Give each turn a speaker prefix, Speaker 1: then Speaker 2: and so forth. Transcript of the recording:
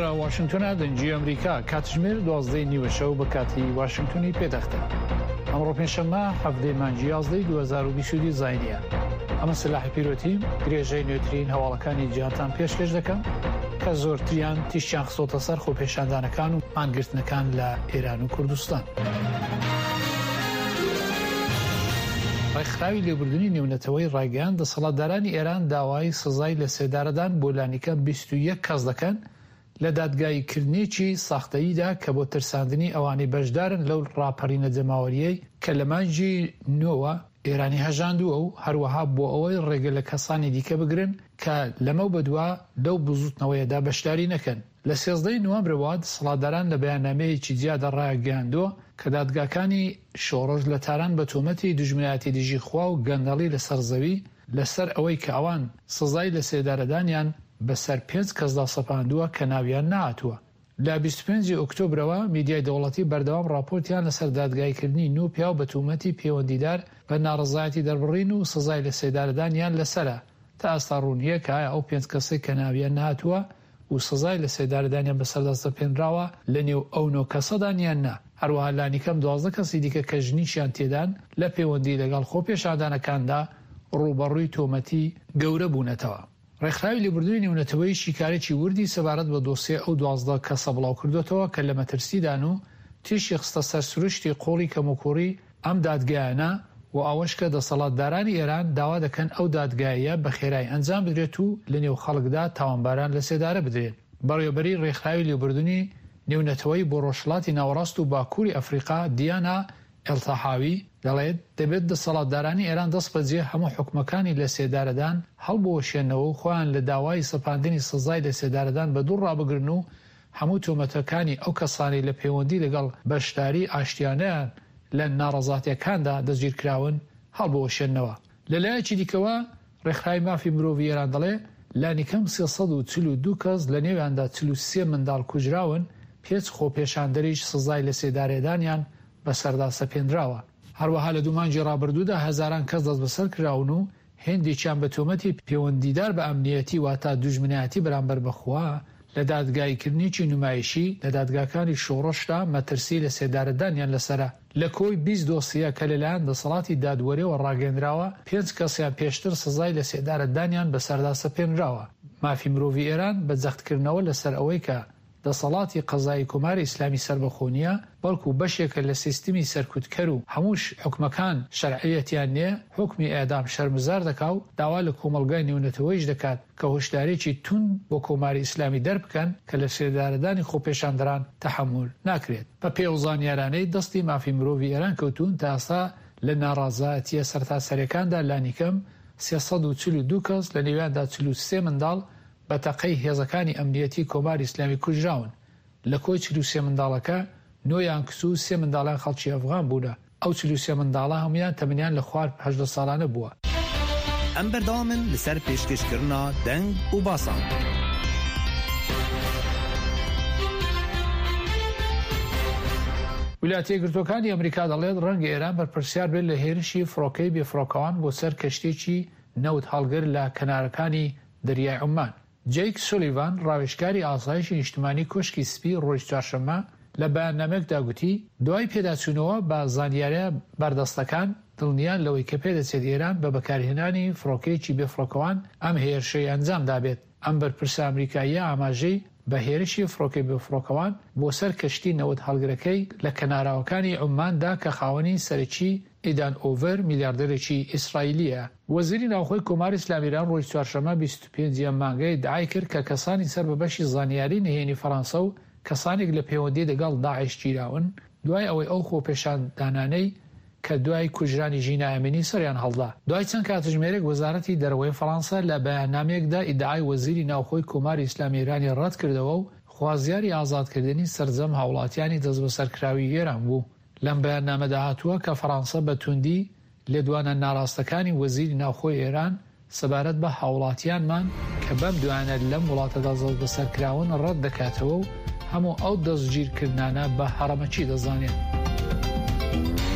Speaker 1: ئێرە واشنگتۆنە دەنگی ئەمریکا کاتژمێر دوازدەی نیوە شەو بە کاتی واشنگتۆنی پێتەختە. ئەمڕۆ پێنجشەممە حەڤدەی مانگی یازدەی 2022 زاینیە. ئەمە سەلاحی پیرۆتیم درێژەی نوێترین هەواڵەکانی جیهانتان پێشکەش دەکەم کە زۆرتریان تیشکیان خستۆتە سەر خۆپێشاندانەکان و مانگرتنەکان لە ئێران و کوردستان. ڕێکخراوی لێبوردنی نێونەتەوەی ڕایگەیاند دەسەڵاتدارانی ئێران داوای سزای لەسێدارەدان بۆ لانیکەم 21 کەس دەکەن لە دادگاییکردنێکی ساختەییدا کە بۆ ترساندنی ئەوانەی بەشدارن لەو ڕاپەرینە جەماوەرییەی کە لە مانگی نۆوە ئێرانی هەژاندووە و هەروەها بۆ ئەوەی ڕێگە لە کەسانی دیکە بگرن کە لەمەو بەدوا لەو بزووتنەوەیەدا بەشداری نەکەن. لە 13 ی نوامبرەوە دەسەڵاتداران لە بەیاننامەیەکی جیادا ڕایانگەیاندووە کە دادگاکانی شۆڕش لە تاران بە تۆمەتی دوژمنایەتی دژی خوا و گەندەڵی لەسەر زەوی لەسەر ئەوەی کە ئەوان سزای لەسێدارەدانیان بەسەر پێنج کەسدا سەپاندووە کە ناویان نەهاتووە. لە 25 ی ئۆکتۆبرەوە میدیای دەوڵەتی بەردەوام ڕاپۆرتیان لەسەر دادگاییکردنی نۆ پیاو بە تومەتی پەیوەندیدار بە ناڕەزایەتی دەربڕین و سزای لەسێدارەدانیان لەسەرە. تا ئێستا ڕوون نییە کە ئایا ئەو پێنج کەسەی کە ناویان نەهاتووە و سزای لەسێدارەدانیان بەسەردا سەپێنراوە لەنێو ئەو نۆ کەسەدان یان نا، هەروەها لانیکەم 12 کەسی دیکە کە ژنیشیان تێدان لە پەیوەندی لەگەڵ خۆپێشاندانەکاندا ڕووبەڕووی تۆمەتی گەورە بوونەتەوە. ڕێکخراوی لێبوردنی نێونەتەوەیی شیکارێکی وردی سەبارەت بە دۆسیەی ئەو 12 کەسە بڵاوکردۆتەوە کە لە مەترسیدان و تیشکی خستە سەر سروشتی قووڵی کەموکووڕی ئەم دادگایانە و ئەوەش کە دەسەڵاتدارانی ئێران داوا دەکەن ئەو دادگاییە بە خێرایی ئەنجام بدرێت و لە نێو خەڵکدا تاوانباران لە سێدارە بدرێن. بەڕێوەبەری ڕێکخراوی لێبوردنی نێونەتەوەیی بۆ ڕۆژهەڵاتی ناوەڕاست و باکووری ئەفریقا دیانا ئێلتاحاوی دەڵێت، دەبێت دەسەڵاتدارانی ئێران دەستبەجێ هەموو حوکمەکانی لەسێدارەدان هەڵبوەشێنەوە و خۆیان لە داوای سەپاندنی سزای لەسێدارەدان بەدوور ڕابگرن و هەموو تۆمەتەکانی ئەو کەسانەی لە پەیوەندی لەگەڵ بەشداری ئاشتیانەیان لە ناڕەزاتیەکاندا دەستگیرکراون هەڵبوەشێننەوە. لە لایەکی دیکەوە ڕێکخراوی مافی مرۆڤی ئێران دەڵێ لانیکەم 342 کەس لە نێویاندا 43 منداڵ کوژراون، پێچ خۆپێشاندەریش سزای لەسێدارەدانیان بەسەردا سەپێنراوە. هەروەها لە دوو مانگی ڕابردوودا هەزاران کەس دەستبەسەر کراون و هێندێکیان بە تۆمەتی پێوەندیدار بە ئەمنییەتی واتە دوژمنایەتی بەرامبەر بە خوا لە دادگاییکردنێکی نومایشی لە دادگاکانی شۆڕشدا مەترسی لەسێدارەدانیان لەسەرە. لە کۆی 20 دۆسیە کە لەلایەن دەسەڵاتی دادوەریەوە ڕاگەیەندراوە، پێنج کەسیان پێشتر سزای لەسێدارەدانیان بەسەردا سەپێنراوە. مافی مرۆڤی ئێران بە جەختکردنەوە لەسەر ئەوەی کە دەسەڵاتی قەزایی کۆماری ئیسلامی سەربەخۆ نییە، بەڵکو بەشێکە لە سیستمی سەرکوتکەر و هەمووش حوکمەکان شەرعیەتیان نییە، حوکمی ئێعدام شەرمزار دەکا و داوا لە کۆمەڵگای نێونەتەوەیش دەکات کە هۆشداریی توند بۆ کۆماری ئیسلامی دەربکەن کە لەسێدارەدانی خۆپێشاندەران تەحەمول ناکرێت. بە پێی ئەو زانیارانەی دەستی مافی مرۆڤی ئێران کەوتوون، تا ئێستا لە ناڕازایەتییە سەرتاسەرییەکاندا لانیکەم 342 کەس لە نێویاندا 43 منداڵ بە تەقەی هێزەکانی ئەمنیەتی کۆماری ئیسلامی کوژراون، لە کۆی 43 منداڵەکە نۆ یان کچ و سێ منداڵیان خەڵکی ئەفغان بوونە، ئەو 43 منداڵە هەموویان تەمەنیان لە خوار 18 ساڵانە بووە.
Speaker 2: ئەم بەردەوامن لەسەر پێشکەشکردنا دەنگ و باسان.
Speaker 1: ویلایەتە یەکگرتووەکانی ئەمریکا دەڵێت ڕەنگە ئێران بەرپرسیار بێت لە هێرشی فڕۆکەی بێفڕۆکەوان بۆ سەر کەشتییەکی نەوت هەڵگر لە کەنارەکانی دەریای عوممان. جەیک سولیڤان، ڕاوێژکاری ئاسایشی نیشتمانی کۆشکی سپی ڕۆژی چوارشەممە لە بەیاننامەیەکدا گوتی، دوای پێداچوونەوە بە زانیارییە بەردەستەکان، دڵنیان لەوەی کە پێدەچێت ئێران بە بەکارهێنانی فڕۆکەیەکی بێفڕۆکەوان ئەم هێرشەی ئەنجام دابێت. ئەم بەرپرسە ئەمریکاییە ئاماژەی بە هێرشی فڕۆکەی بێفڕۆکەوان بۆ سەر کەشتی نەوت هەڵگرەکەی لە کەناراوەکانی عوممان دا کە خاوەنی سەرەکی ئیدان ئۆڤەر میلیاردێرێکی ئیسرائیلییە. وەزیری ناوخۆی کۆماری ئیسلامی ئیران ڕۆژی چوارشەممە 25 ی ئەم مانگە ئیدعای کرد کە کەسانی سەر بە بەشی زانیاری نهێنی فەرانسە و کەسانێک لە پەیوەندی دەگەڵ داعش گیراون دوای ئەوەی ئەو خۆپێشاندانانەی کە دوای کوژرانی ژینا ئەمینی سەریان هەڵدا. دوای چەند کاتژمێرێک وەزارەتی دەرەوەی فەرانسە لە بەیاننامەیەکدا ئیدعای وەزیری ناوخۆی کۆماری ئیسلامی ئێرانی ڕەت کردەوە و خوازیاری ئازادکردنی سەرجەم هاوڵاتیانی دەستبەسەرکراوی ئێران بوو. لەم بەیاننامەدا هاتووە کە فەرانسە بە توندی لێدوانە ناڕاستەکانی وەزیری ناوخۆی ئێران سەبارەت بە هاوڵاتیانمان کە بەم دوایانە لەم وڵاتەدا دەستبەسەرکراون ڕەت دەکاتەوە و هەموو ئەو دەستگیرکردنانە بە هەڕەمەکی دەزانێت.